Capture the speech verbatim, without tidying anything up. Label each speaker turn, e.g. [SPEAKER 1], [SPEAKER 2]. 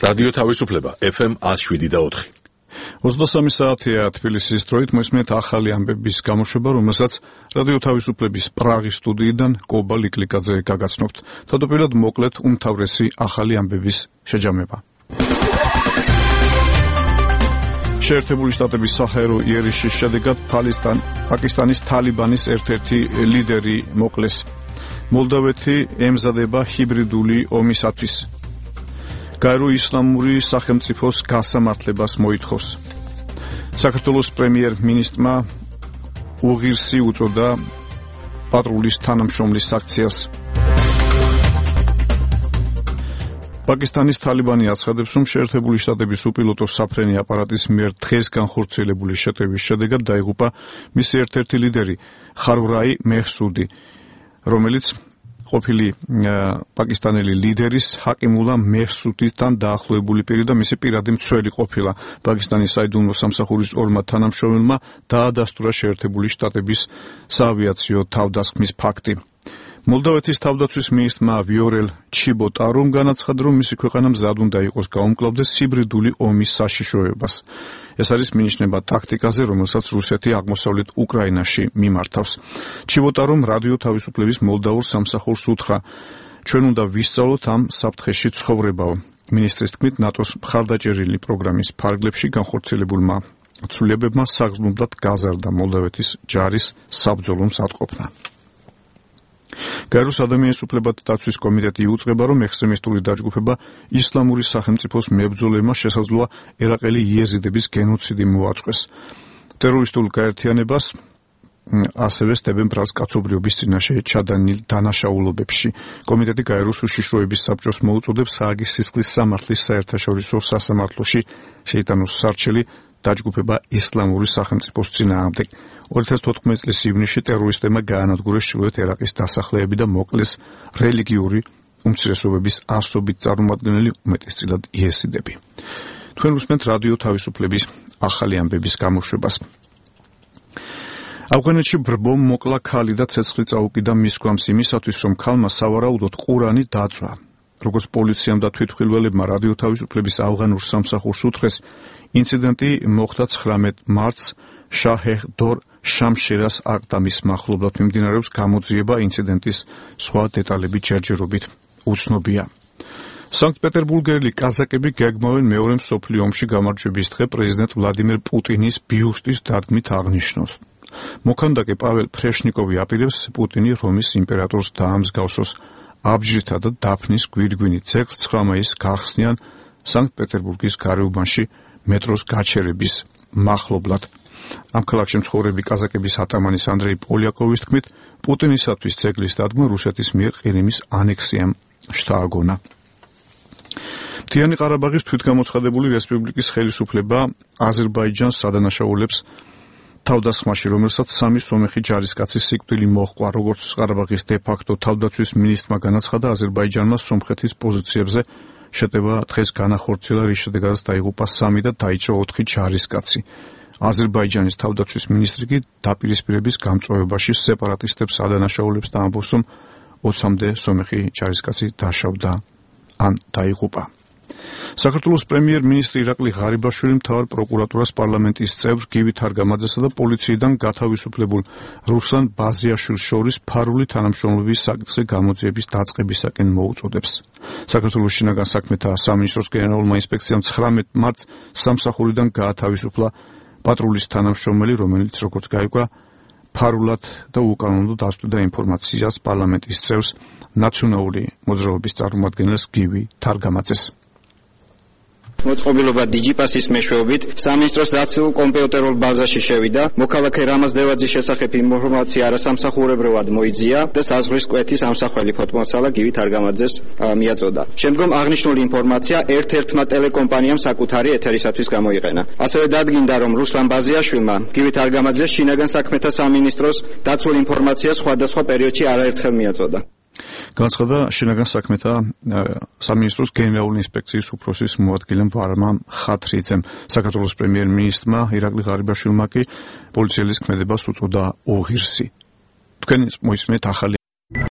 [SPEAKER 1] რადიო თავისუფლება ეფ ემ one oh seven და four.
[SPEAKER 2] ოცდასამი საათია თბილისის დროით მოისმენთ ახალი ამბების გამოშვება, რომელსაც რადიო თავისუფლების პრაღის სტუდიიდან კობა ლიკლიკაძე გაგაცნობთ. თავდაპირველად მოკლედ უმთავრესი ახალი ამბების შეჯამება. შეერთებული შტატების საჰაერო იერიშის შედეგად პაკისტანის თალიბანის ერთ-ერთი ლიდერი მოკლეს. მოლდავეთი ემზადება ჰიბრიდული ომისათვის. გაერო ისლამური სახელმწიფოს გასამართლებას მოითხოვს. საქართველოს პრემიერ-მინისტრმა უღირსი უწოდა პატრულის თანამშრომლის აქციას. პაკისტანის თალიბანი აცხადებს, რომ შეერთებული შტატების უპილოტო საფრენი აპარატის მიერ დღეს განხორციელებული შეტევის შედეგად დაიღუპა მისი ერთ-ერთი ლიდერი ხარურაი მეჰსუდი, რომელიც ყოფილი პაკისტანელი ლიდერის ჰაკიმულა მეჰსუდიდან დაახლოებული პირი და მისი პირადი მცველი ყოფილა. პაკისტანის საიდუმლო სამსახურის ორმა თანამშრომელმა დაადასტურა შეერთებული შტატების საავიაციო თავდასხმის ფაქტი. მოლდავეთის თავდაცვის მინისტრმა ვიორელ ჩიბოტარომ განაცხადა, რომ მისი ქვეყანა მზად უნდა იყოს გაუმკლავდეს ჰიბრიდული ომის საშიშროებას. ეს არის მინიშნება ტაქტიკაზე, რომელსაც რუსეთი აღმოსავლეთ უკრაინაში მიმართავს. ჩიბოტარომ რადიო თავისუფლების მოლდაურ სამსახურს უთხრა, ჩვენ უნდა ვისწავლოთ ამ საფრთხეში ცხოვრებაო. მინისტრის თქმით, ნატოს მხარდაჭერილი პროგრამის ფარგლებში განხორციელებულმა ცვლილებებმა საგრძნობლად გაზარდა მოლდავეთის ჯარის საბრძოლო მზადყოფნა. გაეროს ადამიანის უფლებათა დაცვის კომიტეტი იუწყება, რომ ექსტრემისტული დაჯგუფება ისლამური სახელმწიფოს მებრძოლებმა შესაძლოა ერაყელი იეზიდების გენოციდი მოაწყვეს. ტერორისტულ გაერთიანებას ასევე სდებენ ბრალს კაცობრიობის წინაშე ჩადენილ დანაშაულობებში. კომიტეტი გაეროს უშიშროების საბჭოს მოუწოდებს ჰააგის სისხლის სამართლის საერთაშორისო სასამართლოში შეიტანოს სარჩელი დაჯგუფება ისლამური სახელმწიფოს წინააღმდეგ. ორი ათას თოთხმეტი წლის ივნისში ტერორისტებმა გაანადგურეს ჩრდილოეთ ერაყის დასახლეები და მოკლეს რელიგიური უმცირესობების ასობით წარმომადგენელი, უმეტესწილად იეზიდები. თქვენ უსმენთ რადიო თავისუფლების ახალი ამბების გამოშვებას. ავღანეთში ბრბომ მოკლა ქალი და ცეცხლი წაუკიდა მის გვამს იმისათვის, რომ ქალმა სავარაუდოდ ყურანი დაწვა. როგორც პოლიციამ და თვითმხილველებმა რადიო თავისუფლების ავღანურ სამსახურს უთხრეს, ინციდენტი მოხდა ცხრამეტ მარტს შაჰ-დორ შამშერას აკდამის მახლობლად. მიმდინარეობს გამოძიება, ინციდენტის სხვა დეტალები ჯერჯერობით უცნობია. სანქტ-პეტერბურგელი კაზაკები გეგმავენ მეორე მსოფლიო ომში გამარჯვების დღე პრეზიდენტ ვლადიმერ პუტინის ბიუსტის დადგმით აღნიშნოს. მოქანდაკე პაվել ფრეშნიკოვი აპირებს პუტინი რომის იმპერატორს დაამსგავსოს. აბჯრითა და დაფნის გვირგვინით ძეგლს ცხრა მაისს გახსნიან სანქტ-პეტერბურგის გარეუბანში მეტროს გაჩერების მახლობლად. ამ ქალაქში მცხოვრები კაზაკების ატამანის ანდრეი პოლიაკოვის თქმით, პუტინისათვის ძეგლის დადგმა რუსეთის მიერ ყირიმის ანექსიამ შთააგონა. მთიანი ყარაბაღის თვითგამოცხადებული რესპუბლიკის ხელისუფლება აზერბაიჯანს ადანაშაულებს თავდასხმაში, რომელსაც სამი სომეხი ჯარისკაცის სიკვდილი მოჰყვა. როგორც ყარაბაღის დე-ფაქტო თავდაცვის მინისტრმა განაცხადა, აზერბაიჯანმა სომხეთის პოზიციებზე შეტევა დღეს განახორციელა, რის შედეგადაც დაიღუპა სამი და დაიჭრა ოთხი ჯარისკაცი. აზერბაიჯანის თავდაცვის მინისტრი კი დაპირისპირების გამწვავებაში სეპარატისტებს ადანაშაულებს და ამბობს, რომ ოცამდე სომეხი ჯარისკაცი დაშავდა ან დაიღუპა. საქართველოს პრემიერ-მინისტრი ირაკლი ღარიბაშვილი მთავარ პროკურატურას პარლამენტის წევრ გივი თარგამაძესა და პოლიციიდან გათავისუფლებულ რუსლან ბაზიაშვილს შორის ფარული თანამშრომლობის საკითხზე გამოძიების დაწყებისაკენ მოუწოდებს. საქართველოს შინაგან საქმეთა სამინისტროს გენერალურმა ინსპექციამ ცხრამეტ მარტს სამსახურიდან გაათავისუფლა პატრულის თანამშრომელი, რომელიც როგორც გაიგო, ფარულად და უკანონოდ დასტვიდა ინფორმაციას პარლამენტის წევრს ნაციონალური მოძრაობის წარმომადგენელს გივი თარგამაძეს.
[SPEAKER 3] მოწყობილობა დიჯიპასის მეშვეობით სამინისტროს დაცულ კომპიუტერულ ბაზაში შევიდა. მოქალაქე რამაზ დევაძის შესახებ ინფორმაცია არასამსახურებრივად მოიძია და საზღვრის კვეთის ამსახველი ფოტომასალა გივი თარგამაძეს მიაწოდა. შემდგომ აღნიშნული ინფორმაცია ერთ-ერთმა ტელეკომპანიამ საკუთარი ეთერისათვის გამოიყენა. ასევე დადგინდა, რომ რუსლან ბაზიაშვილმა გივი თარგამაძეს შინაგან საქმეთა სამინისტროს დაცულ ინფორმაციას სხვადასხვა პერიოდში არაერთხელ მიაწოდა.
[SPEAKER 2] განაცხადა შინაგან საქმეთა სამინისტროს გენერალური ინსპექციის უფროსის მოადგილემ ვარმამ ხათრიძემ. საქართველოს პრემიერ-მინისტრმა ირაკლი ღარიბაშვილმა კი პოლიციელის ქმედებას უწოდა უღირსი. თქვენ მოისმენთ ახალი